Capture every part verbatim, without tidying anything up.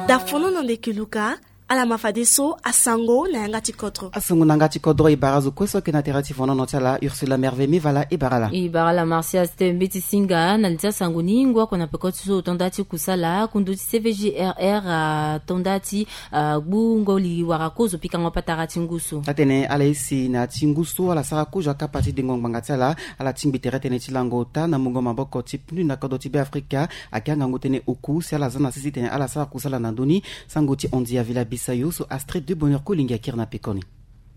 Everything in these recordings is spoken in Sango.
Dafono na ndeke luka. Ala ma fadeso asango na yanga ti kodro. Asango na yanga ti kodro e bara azo kue so ayeke na tere ti fonono ti ala. Ursula Merve Mivala e bara ala. E bara ala Martial Stembe ti singa na li ti asango ni. Ngu oko na peko ti so tonda ti kusala kundu ti C V G R R, ah, tonda ti, ah, gbu ngoli wara kozo pikango patara ti ngu so. Atene ala isi na ya ti ngu so ala sara kozo akapa ti dengo ngbanga ti ala. Ala tingbi tere tënë ti lango ota na mungo maboko ti pnu na kodro ti Beafrika. Ayeke angangu tënë oku si ala za na sese titene ala sara kusala na ndö ni. Sango ti Andy Avila Bisayo so Astrid de Bonheur Kolingi akiri na pekoni.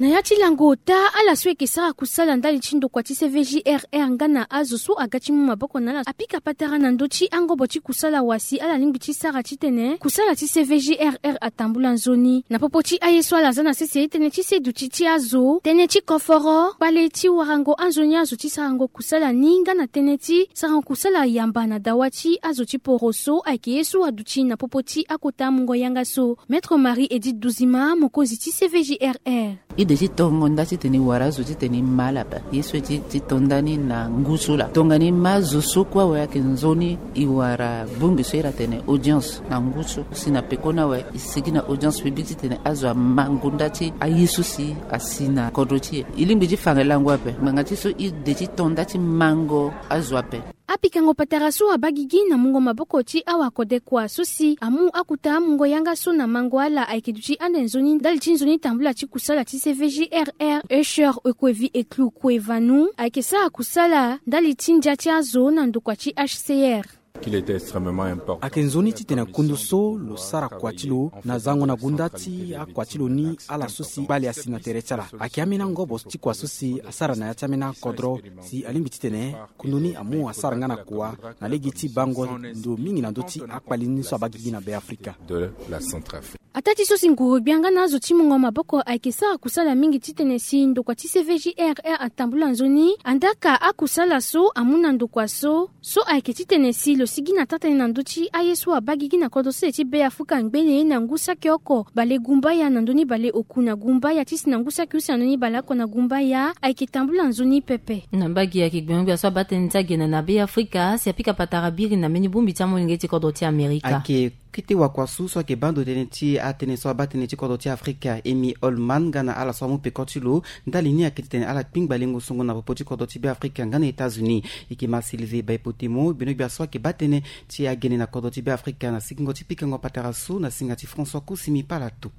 Na ya ti lango ota, ala so ayeke sara kusala ndali ti ndokua ti C V G R R nga na azo so aga ti mu maboko na ala apika patara na ndö ti angobo ti kusala wa si ala lingbi ti sara titene kusala ti C V G R R atambula nzoni. Na popo ti aye so ala za na sese tënë ti se duti ti azo, tënë ti koforo, kpale ti warango anzoni azo ti sarango kusala ni nga na tënë ti sarango kusala yamba na dawa ti azo ti poroso ayeke ye so aduti na popo ti akota mungo yanga so. Maître Marie Edith Duzima, mokonzi ti C V G R R. E de ti tongo nda titene e wara azo titene e ma ala ape. Ye so e ti, ti to nda ni na ngu so laa. Tongana e ma azo so kue awe ayeke nzoni, e wara bongbi so iri atene audience na ngu so. Si na pekoni awe e sigi na audience publique titene azo ama ngu nda ti aye so si asi na kodro ti e. E lingbi ti fa nga lango ape. Ngbanga ti so e de ti to nda ti mango azo ape. Apikango patara so abaa gigi na mungo maboko ti awakodekua so si amu akota mungo yanga so na mango ala ayeke duti ande nzoni ndali ti nzoni tambula ti kusala ti C V G R R. Usher Ekwevi Eklu Kwevanu ayeke sara kusala ndali ti ndia ti azo na ndokua ti H C R. Qu'il était extrêmement important. Ayeke nzoni titene kundu so lo sara kua ti lo na zango na gunda ti akua ti lo ni, ala so si kpale asi na tere ti ala. Ayeke ambeni angobo ti kua so si asara na ya ti ambeni akodro si alingbi titene kundu ni amu asara nga na kua na lege ti bango ndo mingi na ndö ti akpale ni so abaa gigi na Beafrika. De la Centrafrique. Ataa ti so si nguru-gbia nga na azo ti mungo maboko ayeke sara kusala mingi titene si ndokua ti C V G R R atambula nzoni, andaa ka akusala so amu na ndokua so, so ayeke titene si lo sigi na taa-tënë na ndö ti aye so abaa gigi na kodro sese ti Beafrika ngbene na ngu saki oko bale gumbaya na ndö ni bale oku na gumbaya ti si na ngu saki use na ndö ni bale oko na gumbaya ayeke tambula nzoni pepe. Na mbage ayeke gbengbe gbia so abaa tënë ti agene na Beafrika si apika patara biri na mbeni bongbi ti amolenge ti kodro ti Amerika. Ayeke kete wakua so so ayeke baa ndo tënë ti atënë so abaa tënë ti kodro ti Afrika, Amy Holman, nga na ala so amu peko ti lo. Ndali ni ayeke titene ala kpingba lengo songo na popo ti kodro ti Beafrika nga na États-Unis. E yeke ma Sylvie Baipotemo, gbeno gbia so ayeke baa tënë ti agene na kodro ti Beafrika na sigingo ti pikango patara so na singa ti François Kusimi Palatu.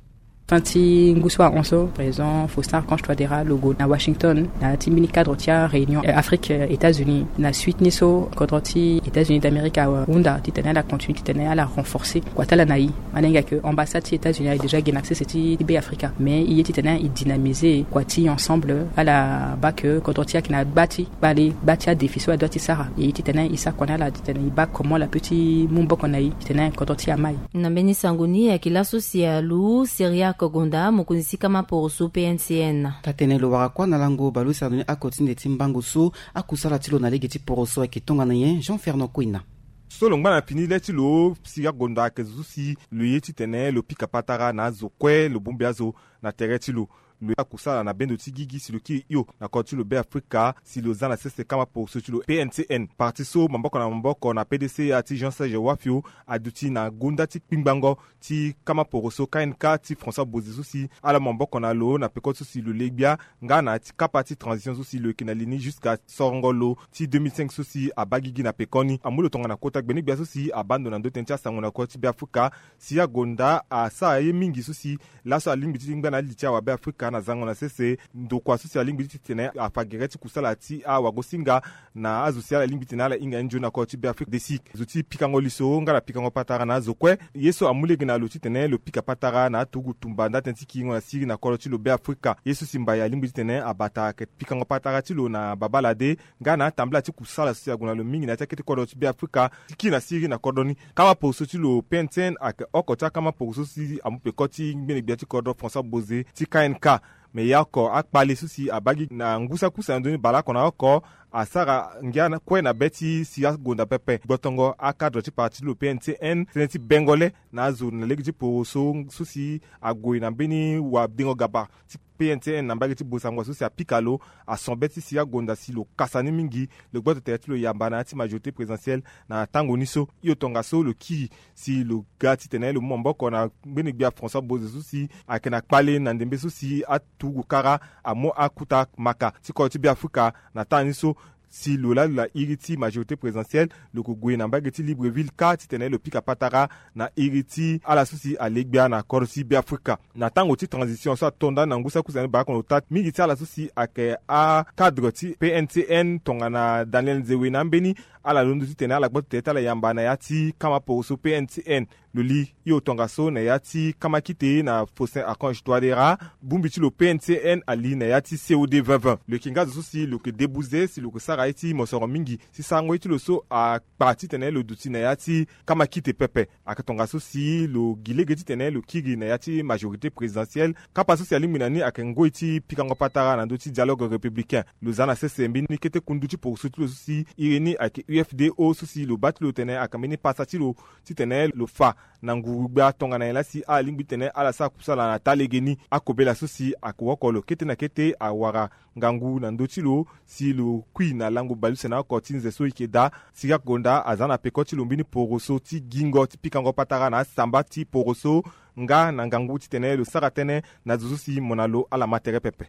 Fin ti ngu so ahon so, président Faustin Archange Touadéra lo gue na Washington na ya ti mbeni cadre ti aréunion, euh, Afrique, euh, États-Unis. Na suite ni so kodro ti États-Unis d'Amérique ahunda titene ala continue titene ala renforcer kua ti ala na e. Ala hinga ke ambassade ti États-Unis aye déjà ge na sese ti Beafrika, mais e ye titene e dynamiser kua ti ensemble. Ala baa ke kodro ti e ayeke na gba ti kpale, gba ti adéfi so adoit ti sara. E ye titene e sara kua na ala titene e baa comment ala peut ti mu maboko na e titene kodro ti e ama e. Na mbeni sango ni ayeke laso si alu Syriaque Gonda, mokonzi ti kama poroso P N C N. Taa-tënë lo wara kuâ na lango bale use na ndö ni oko ti nde ti mbango so akusala ti lo na lege ti poroso ayeke tongana nyen? Jean Fernand Kouina. So lo ngba na fini le ti lo, Syriaque Gonda ayeke zo so si lo ye titene lo pika patara na azo kue lo bongbi azo na tere ti lo. Lo ye akusala na bendo ti gigi si lo kiri hio na kodro ti lo Beafrika si lo za na sese kama poroso ti lo P N C N. Parti so maboko na maboko na P D C ya ti Jean Serge Wafio aduti na gonda ti kpingbango ti kama poroso K N K ti François Bozé so si ala mu maboko na lo na peko so si lo le gbia nga na ya ti kapa ti transition so si lo yeke na li ni jusqu'à sorongo lo ti deux mille cinq so si abaa gigi na pekoni. Amu lo tongana kota gbene gbia so si abaa ndo na ndö tënë ti asango na kodro ti Beafrika. Syriaque Gonda asara ye mingi so si laso alingbi ti ngba na ali ti awabe Afrika na zango na sese. Ndokua so si alingbi ti tene afa gere ti kusala ti awagosinga na azo si ala lingbi titene ala hinga ye nzoni na kodro ti Beafrika. Desi zo ti pikango liso nga na pikango patara na azo kue. Ye so amu lege na lo titene lo pika patara na aturugu tumba nda tënë ti kiringo na siriri na kodro ti lo Beafrika. Ye so si mbai alingbi titene abata ayeke pikango patara ti lo na babâ lade nga na atambula ti kusala so si ague na lo mingi na ya ti akete kodro ti Beafrika ti kiri na siriri na kodro ni. Kama poroso ti lo P N C N ayeke oko ti akama poroso so si amu peko ti ngbene gbia ti kodro François Bozé ti K N K. Me ya oko akpale so si abaa gi na ngu saki use na ndö ni baleoko na oko asara ngia kue na be ti Syriaque Gonda pepe. Gbotongo akadre ti parti ti lo P N C N tënë ti bengo le na azo na lege ti poroso so si ague na mbeni wadengo gaba ti P N C N na mbage ti Bossangoa so si apika lo, ason be ti si agonda si lo kasa ni mingi lo gboto tere ti lo yamba na ya ti majorité présidentielle. Na tango ni so hio tongaso lo kiri si lo ga titene lo mu maboko na ngbeni gbia François Bozé so si ayeke na kpale na ndembe so si aturugu kara amu akuta maka ti kodro ti Beafrika. Na temps ni so si lo laa lo na iri ti majorité présidentielle, lo ko gue na mbage ti Libreville kâ titene lo pika patara na iri ti ala so si ale gbia na kodro ti Beafrika. Na tango ti transition so ato ndani na ngu sara kusa ni baa kono ota mingi ti ala so si ayeke acadre ti P N C N tongana Daniel Nzewe na ambeni, ala londo titene ala gboto tere ti ala yamba na ya ti kama poroso P N C N. Lo li hio tongaso na ya ti kama kite na Faustin Archange Touadéra, bongbi ti lo P N C N ali na ya ti C O D vingt vingt. Lo yeke nga zo so si lo yeke débouze si lo yeke sara ye ti mosoro mingi si sarango ye ti lo so akpa titene lo duti na ya ti kama kite pepe. Ayeke tongaso si lo gi lege titene lo kiri na ya ti majorité présidentielle. Kapa so si alingbi na ni ayeke ngoi ti pikango patara na ndö ti dialogue républicain. Lo za na sese mbeni kete kundu ti poroso ti lo so si iri ni ayeke U F D O so si lo baa ti lo tene ayeke mbeni pasa ti lo titene lo fa na nguru gbia tongana nyen laa si ala lingbi titene ala sara kusala na taa legeni. Akobela so si ayeke woko lo kete na kete awara ngangu na ndö ti lo si lo kui na lango bale use na oko ti nze so e yeke daa. Sika Gonda aza na peko ti lo mbeni poroso ti gingo ti pikango patara na asamba ti poroso nga na ngangu titene lo sara tënë na zo so si mo na lo ala ma tere pepe.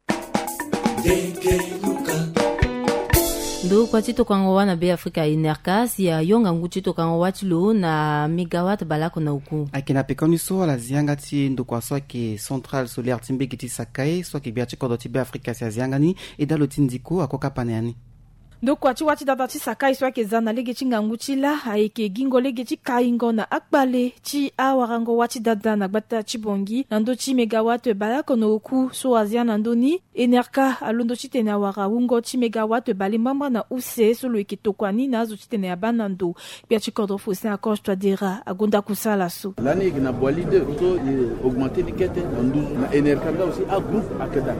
Ndokua ti tokango wâ na Beafrika, Enerca, si ayo ngangu ti tokango wâ ti lo na mégawatt baleoko na oku. Ayeke na peko ni so ala zi yanga ti ndokua so ayeke centrale solaire ti mbege ti Sakai so ayeke gbia ti kodro ti Beafrika si azi yanga ni. Eda lo ti ndiko ako kapa na ya ni. Ndokua ti wâ ti dada ti Sakai so ayeke za na lege ti ngangu ti lâ ayeke gingo lege ti kaingo na akpale ti awarango wâ ti dada na gbata ti Bangui na ndö ti mégawatt baleoko na oku so azi yanga na ndö ni. Enerca alondo titene awara wungo ti mégawatt bale mbamba na use so lo yeke tokua ni na azo titene abaa na ndo. Gbia ti kodro Faustin Archange Touadéra agonda kusala so. Lani e yeke na Boali deux so e augmenter ni kete na nduzu na Enerca nga aussi agroupe ayeke daa.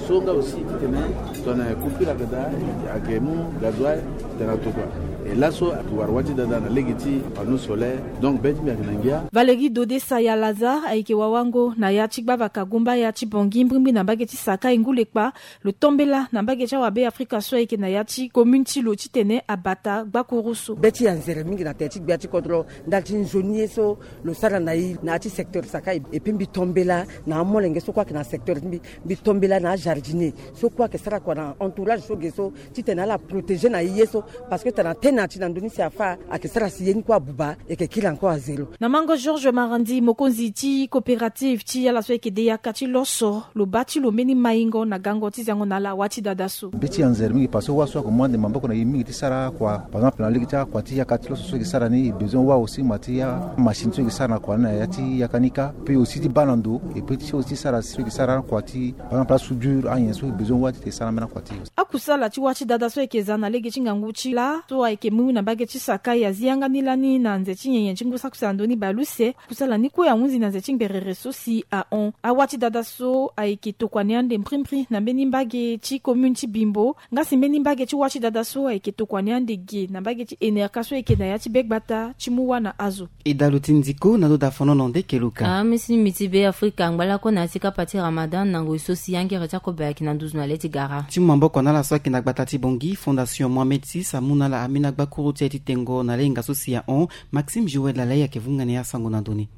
So nga aussi titene tongana coupure ayeke daa, ayeke mu gasoil tena tokua. E laso ayeke wara wâ ti dada na lege ti panneau solaire. Donc be ti mbi ayeke na ngia. Valérie Dodé Saya Lazare ayeke wawango na ya ti gbavaka Gomba ya ti Bangui mbrimbri na mbage ti Sakai ngu lekpa. Lo tombela na mbage ti awabe Afrika so ayeke na ya ti commune ti lo titene abata gbakuru so. Be ti anzere mingi na tere ti gbia ti kodro ndali ti nzoni ye so lo sara na e na ya ti secteur Sakai. Epui mbi tombela na amolenge so kue ayeke na secteur ti mbi. Mbi tombela na ajardinier so kue ayeke sara kua na entourage so ge so titene ala protéger na e ye so. Parce que tana tene ati na ndö ni si afâ ayeke sara si ye ni kue abuba. E yeke kiri encore à zéro. Na mango Georges Marandi, mokonzi ti coopérative ti ala so ayeke de yaka ti loso, lo baa ti lo mbeni maingo na gango ti zango na ala wâ ti dada so. Be ti anzere mingi parce que wâ so ayeke mu ande maboko na e mingi ti sara akua. Par exemple na lege ti akua ti yaka ti loso so e yeke sara ni, e besoin wâ aussi ma ti amachine so e yeke sara na kua ni na ya ti yaka ni kâ. Pe aussi ti baa na ndo, e pe ti aussi sara so e yeke sara akua ti par exemple asoudure anyen so e besoin wâ ti e sara ambeni akua ti e. Akusala ti wâ ti dada so ayeke za na lege ti ngangu ti lâ so ayeke mu na mbage ti Sakai azi yanga ni lani na nze ti nyenye ti ngu sara kusala na ndö ni baleuse. Kusala ni kue ahunzi na nze ti ngberere so si ahon. Awâ ti dada so ayeke tokua ni ande mbrimbri na mbeni mbage ti commune ti Bimbo. Nga si mbeni mbage ti wâ ti dada so ayeke tokua ni ande ge na mbage ti Enerca so ayeke na ya ti be gbata ti mu wâ na azo. E da lo ti nziko na lo da fonono nde ke lo ka. Amisi ni mbi ti Be Afrika angba lakue na ya ti kapa ti Ramadan na ngoi so si angere ti akobe ayeke na nduzu na le ti gara. Ti mu maboko na ala so ayeke na gbata ti Bangui, Fondation Mohamed six amu na ala ambeni agbakuru ti aye ti tengo na le hinga so si ahon. Maxime Joël Lalai ayeke vunga na e asango na ndö ni.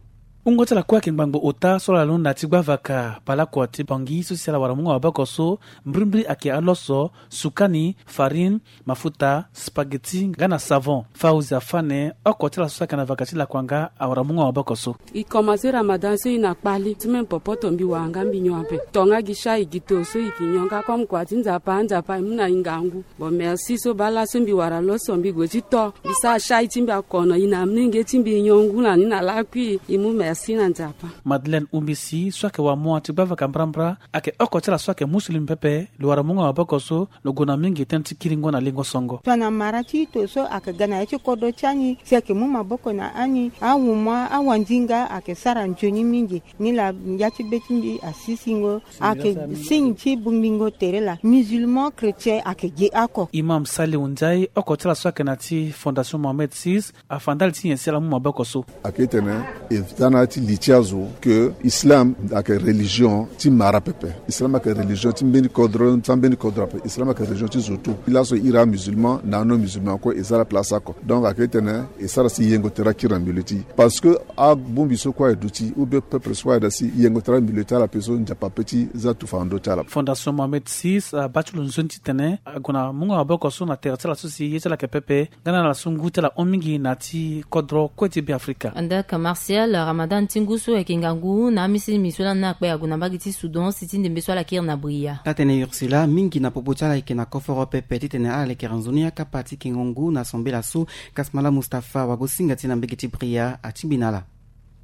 Wungo ti ala kue ayeke ngbangbo ota so ala londo na ya ti gbavaka baleoko ti Bangui so si ala wara mu nga maboko so. Mbrimbri ayeke aloso, sukani, farine, mafuta, spaghetti nga na savon. Fauzi Afane, oko ti ala so ayeke na vaka ti lakua nga awara mu nga maboko so. E komanse Ramadan so e na kpale, semaine popoto mbi wara nga mbi nyon ape. Tonga gi shai gi to so e yeke nyon nga comme kua ti Nzapa, Nzapa e mu na e ngangu. Bon, merci so baa laso mbi wara loso mbi gue ti to. Mbi sara shai ti mbi akono, e na amolenge ti mbi e nyon ngu na ni na lakui, e mu merci na Nzapa. Madeleine Umbisi so ayeke wamoa ti gbavaka mbrambra, ayeke oko ti ala so ayeke musulum pepe. Lo wara mu nga maboko so lo gue na mingi tënë ti kiringo na lingo songo. Tongana mara ti ito so ayeke ga na ya ti kodro ti ani si ayeke mu maboko na ani, awumua, awandinga ayeke sara nzoni mingi. Nilaa ya ti be ti mbi asisingo. Ayeke signe ti bongbingo tere laa, musulman, chrétien ayeke ge oko. Imam Salihu Ndiaye, oko ti ala so ayeke na ya ti Fondation Mohamed six, afa ndali ti nyen si ala mu maboko so. Ayeke tene e za na Ti li ti azo ke islam ayeke religion ti mara pepe. Islam ayeke religion ti mbeni kodro, ti ambeni kodro ape. Islam ayeke religion ti zo tu. Laso iri amusulman na anon-musulman kue e za la place oko. Donc ayeke titene e sara si yengo tere akiri na milieu ti e. Parce que abongbi so kue aye duti ou bien peuple so kue aye da si yengo tere milieu ti ala ape so nzapa ape ti za tufa na ndö ti ala. Fondation Mohamed six abaa ti lo nzoni titene ague na mungo maboko so na tere ti ala so si ye ti ala ayeke pepe. Nga na ala so ngu ti ala hon mingi na ya ti kodro kue ti Beafrika. Anda ka Martial, Ramadan ti ngu so ayeke ngangu na amisilimi so lani akpe ague na mbage ti Soudan si ti ndembe so ala kiri na Bria. Taa-tënë Ursula, mingi na popo ti ala ayeke na koforo pepe titene ala lekere nzoni akapa ti kengo ngu na sambela so. Kasmala Mustapha wagosinga ti na mbage ti Bria atingbi na ala.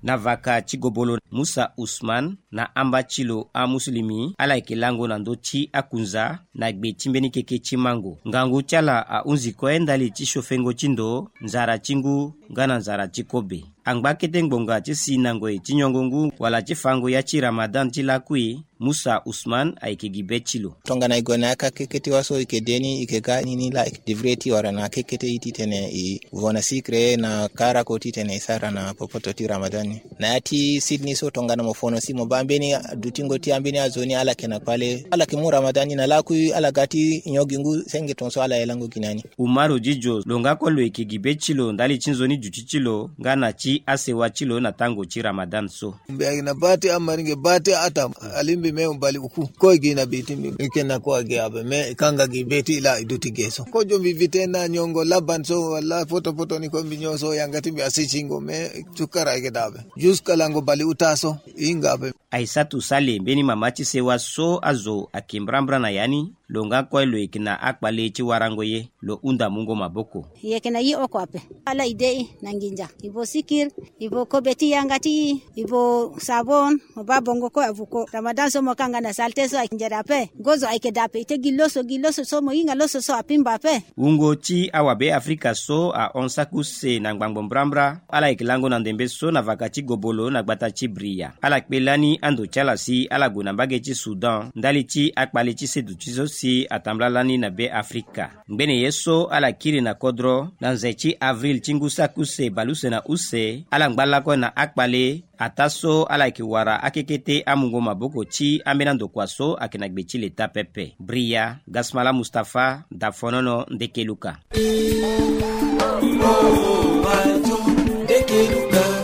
Na vaka ti gobolo Musa Usman na amba ti lo amusilimi ala yeke lango na ndö ti akunza na gbe ti mbeni keke ti mango. Ngangu ti ala ahunzi kue ndali ti siofengo ti ndo, nzara ti ngu nga na nzara ti kobe. Angba kete ngbonga ti si na ngoi ti nyongo ngu wala ti fango ya ti Ramadan ti lakui, Musa Usman ayeke gi be ti lo. Tongana e gue na akakekete wa so e yeke de ni e yeke ga ni ni laa e yeke devrait ti wara na akekete ti tene e vo na sikre na karako titene e sara na popoto ti Ramadan ni. Na ya ti sini so tongana mo fono si mo baa mbeni dutingo ti ambeni azo ni ala yeke na kpale ala yeke mu Ramadan ni na lakui ala ga ti nyon gi ngu senge tongaso ala ye lango gi na ni. Umaru Didio lo nga kue lo yeke gi be ti lo ndali ti nzoni duti ti lo nga na ti asewa ti lo na tango ti Ramadan so. Mbi ayeke na baa ti amaringe baa ti ata alingbi me mbali oku. Kue gi na be ti mbi mbi yeke na kue agi ape me e kanga gi be ti laa e duti ge so kozo mbi vite na nyongo laban so wala potopoto ni kue mbi nyon so yanga ti mbi asi singo me. Sukara ayeke daa ape. Juska lango bali uta so e hinga ape. Aisatu Sale mbeni mama ti sewa so azo ayeke mbrambra na ya ni. Lo nga kue lo yeke na akpale ti warango ye. Lo hunda mungo maboko. E yeke na ye oko ape. Ala e de e na nginza e vo sikir e vo kobe ti yanga ti e e vo sabon. Mo baa bongo kue avuko ramadan so mo kanga na salte so ayeke nzere ape. Gozo ayeke daa ape e te gi loso gi loso so mo hinga loso so apimba ape. Wungo ti awabe afrika so ahon saki use na ngbangbo mbrambra. Ala yeke lango na ndembe so na vaka ti gobolo na gbata ti bria ala kpe lani ando ti ala si ala gue na mbage ti soudan ndali ti akpale ti seduti so si atambula lani na be afrika. Ngbene ye so ala kiri na kodro na nze ti avril ti ngu saki use baleuse na use ala ngba lakue na akpale. Ataa so ala yeke wara akekete amungo maboko ti ambeni andokua so ayeke na gbe ti leta pepe. Bria, gasmala mustafa, dafonono, ndekeluka.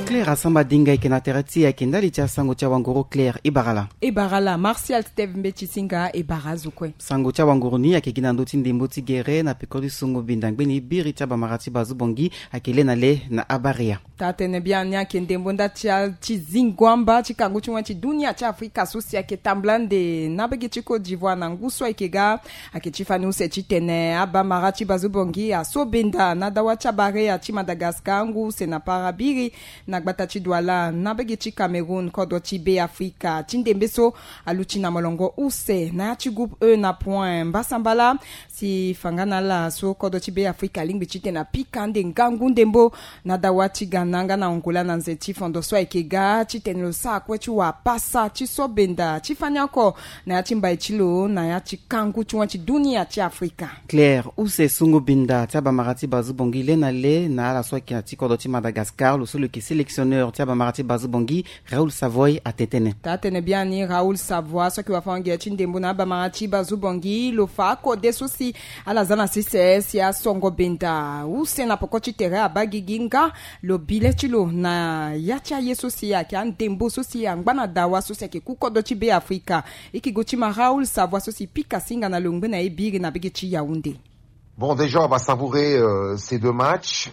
Claire asamba dinga eke na tere ti eke ndali ti asango ti awanguru claire ibara la. Ibara la martial steve mbeti singa ibara azo kue. Sango ti awanguru ni ake gi na ndö ti ndembo ti gere na peko ti songo binda ngbeni biri ti abamara ti bazu bongi. Ake le na le na abaria. Taa-tene biani ake ndembo nda ti atingo amba ti kangu ti wen ti dunia ti afrika so si ake tambula nde na bege ti côte d'ivoire na ngu so ayeke ga. Ake ti fani use titene abamara ti bazu bongi aso benda na dawa ti abarea ti madagascar ngu use na parabiri na gbata ti duala na bege ti cameroun kodro ti be afrika ti ndembe so. Aluti na molongo use na ya ti groupe e na point mbasambala. Si fanga na ala so kodro ti be afrika alingbi titene apika nde ngangu ndembo na dawa ti ghana nga na angola na nze ti fondo so ayeke ga titene lo sara kue ti wapasa ti so benda ti fani oko na ya ti mbai ti lo na ya ti kangu ti wen ti dunia ti afrika. Claire use sungu binda ti abamara ti bazu bongi le na le na ala so ayeke na ti kodro ti madagascar lo so lo yeke sélectionneur ti abamara ti bazu bongi. Raoul savoy atene tënë. Taa-tene biani raoul savoy so ayeke wafango-gere ti ndembo na abamara ti bazu bongi lo fa akode so si ala za na sese si asongo benda use na poko ti tere abaa gigi nga lo bi le ti lo na ya ti aye so si ayeke andembo so si angba na dawa so si ayeke ku kodro ti be afrika. E yeke go ti ma raoul savoy so si pika singa na longbe na ye biri na bege ti yaounde. Bon déjà on va savourer ces deux matchs.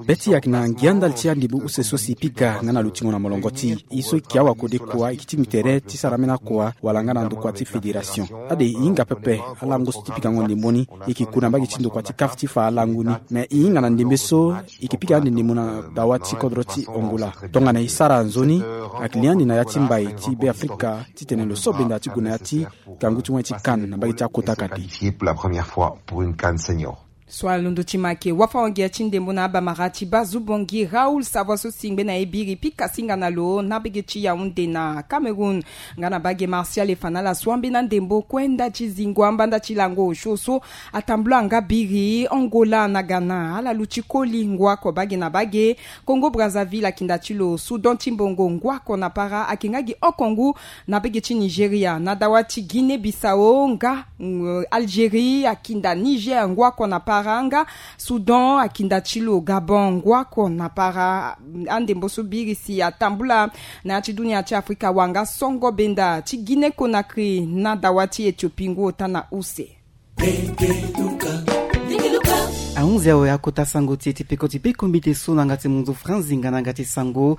Be ti e ayeke na ngia ndali ti andembo use so si e pika nga na lutingo na molongo ti e e so e yeke awa kode kua e yeke tingbi tere ti sara ambeni akua wala nga na ndokua ti fédération. Ade e hinga pepe alango so ti pikango ndembo ni. E yeke ku na mbage ti ndokua ti kaf ti fa alango ni me e hinga na ndembe so e yeke pika ande ndembo na dawa ti kodro ti angola. Tongana e sara nzoni ayeke li ande na ya ti mbai ti be afrika titene lo so benda ti gue na ya ti kangu ti wen ti kan na mbage ti akota kate. Qualifié pour la première fois pour une can senior. So alondo ti make wafa wangia ti ndembo na abamara ti baa zubongi Raoul Savoie so si ngbe na e biri pika singa na lo na bege ti Yaoundé na Cameroun. Nga na bage Martial Efanala so ambeni andembo kue nda ti zingo ambanda ti lango osio so atambula nga biri Angola na Ghana ala lu ti koli ngua ko bage na bage. Congo Brazzaville akinda ti lo Soudan ti mbongo ngua ko na para ake nga gi oko ngu na bege ti Nigeria na dawa ti Guinée Bissau nga Algérie akinda Niger ngua ko na para nga Soudan akinda ti lo Gabon ngua ko na para. Andembo so biri si atambula na ya ti dunia ti Afrika wanga songo benda ti Guinée Conakry na dawa ti Éthiopie ngu ota na use. Ahunzi awe akota sango ti e ti peko ti peko mbite so na nga ti munzu franzi nga na nga ti sango.